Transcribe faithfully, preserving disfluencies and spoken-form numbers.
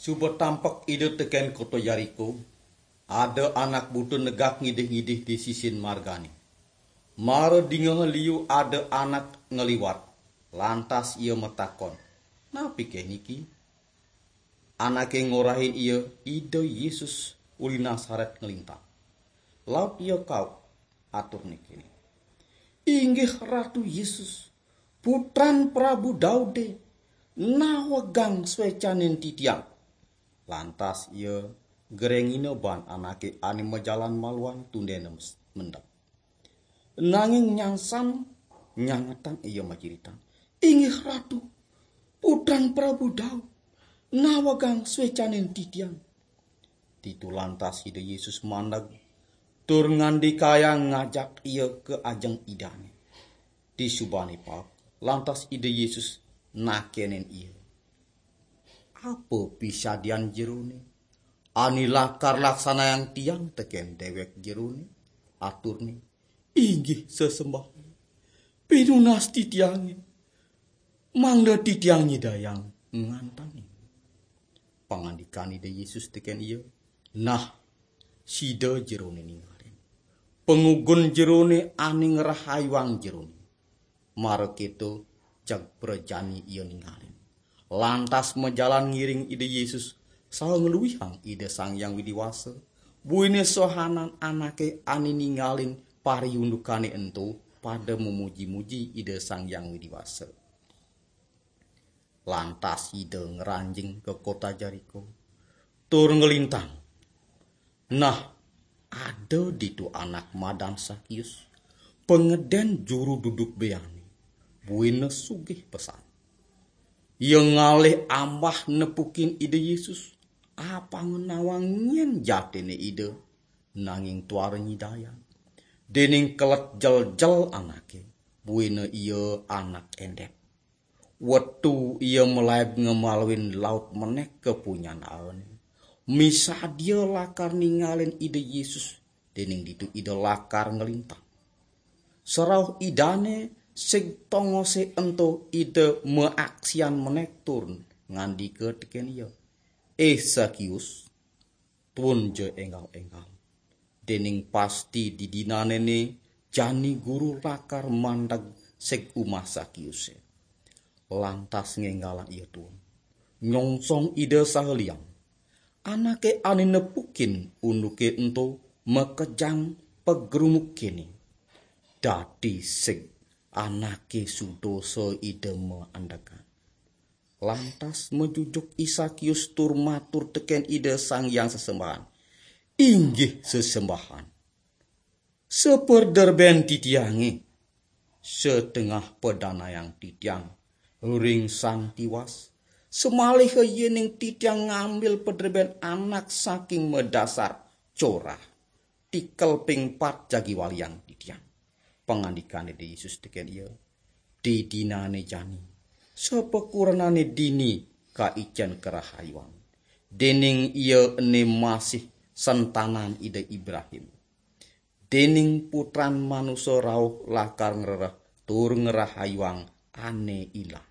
Suba tampek Ida teken kota Yeriko, ada anak buta negak ngidih-ngidih di sisin margane. Mara dingeh liu ada anak ngliwat, lantas ia matakon, "Napi keh niki?" Anake ngorahin ia, "Ida Yesus uli Nasaret nglintang." Laut ia kaup, aturne kene, "Inggih Ratu Yesus, Putran Prabu Daude, nawegang swecanin titiang." Lantas ia gerengina ban anake ane majalan maluan tundene mes-, mendem. Nanging nyangsan nyangetang ia maciritang, "Inggih Ratu, Putran Prabu Daud, nawegang swecanin titiang." Ditu lantas Ida Yesus mandeg, tur ngandikayang ngajak ia ka ajeng Idane. Disubane paek, lantas Ida Yesus nakenin ia, "Apa pisadian jerone ane lakar laksanayang tiang teken dewek jerone?" Aturne, "Inggih sesembahan. Pinunas titiange, mangda titiang nyidayang ngantangin." Pangandikan Ida Yesus teken ia, "Nah, sida jerone ningalin. Pangugun jerone ane ngrahayuang jerone." Mara keto, jeg prajani ia ningalin. Lantas majalan ngiring Ida Yesus, saha ngluihang Ida Sang Hyang Widi Wasa. Buine sohanan anake ane ningalin pariundukane ento pada memuji-muji Ida Sang Hyang Widi Wasa. Lantas Ida ngranjing ka kota Jeriko, tur nglintang. Nah, ada ditu anak madan Sakius, pangeden juru duduk beane, buina sugih pesan. Ia ngalih ambah nepukin Ida Yesus, apanga nawang nyen jatine Ida, nanging tuara nyidayang. Dening kelet jeljel anake, buina ia anak endep. Wetu ia malaib ngemaluin laut menek ka punyan aane. Misadia lakar ningalin Ida Yesus, dening ditu Ida lakar nglintang. Sarauh Idane sing tongose ento Ida maaksian menek tur ngandika teken ia, "Eh Sakius, tuunja enggal-enggal. Dening pasti didinane ne jani Guru lakar mandeg seg umah Sakiuse." Lantas ngenggalang ia tuun. Nyongsong Ida saha liang. Anake ane nepukin unduke ento makejang pagrumuk kene, "Dadi seg anake sudosa Ida maendegan." Lantas majujuk I Sakius tur matur teken Ida Sang Hyang Sesembahan, "Inggih sesembahan. Saperderben titiange, setengah padanayang titiang ring Sang Tiwas, samaliha yening titiang ngambil pederben anak saking madasar corah, tikel ping pat jagi waliang titiang." Pangandikane Ida Yesus teken ia, "Didinane jani, sapakurenane dini kaicen karahayuan, dening ia ene masih sentanan Ida Ibrahim. Dening Putran Manusa rauh lakar ngrereh tur ngrahayuang ane ilang."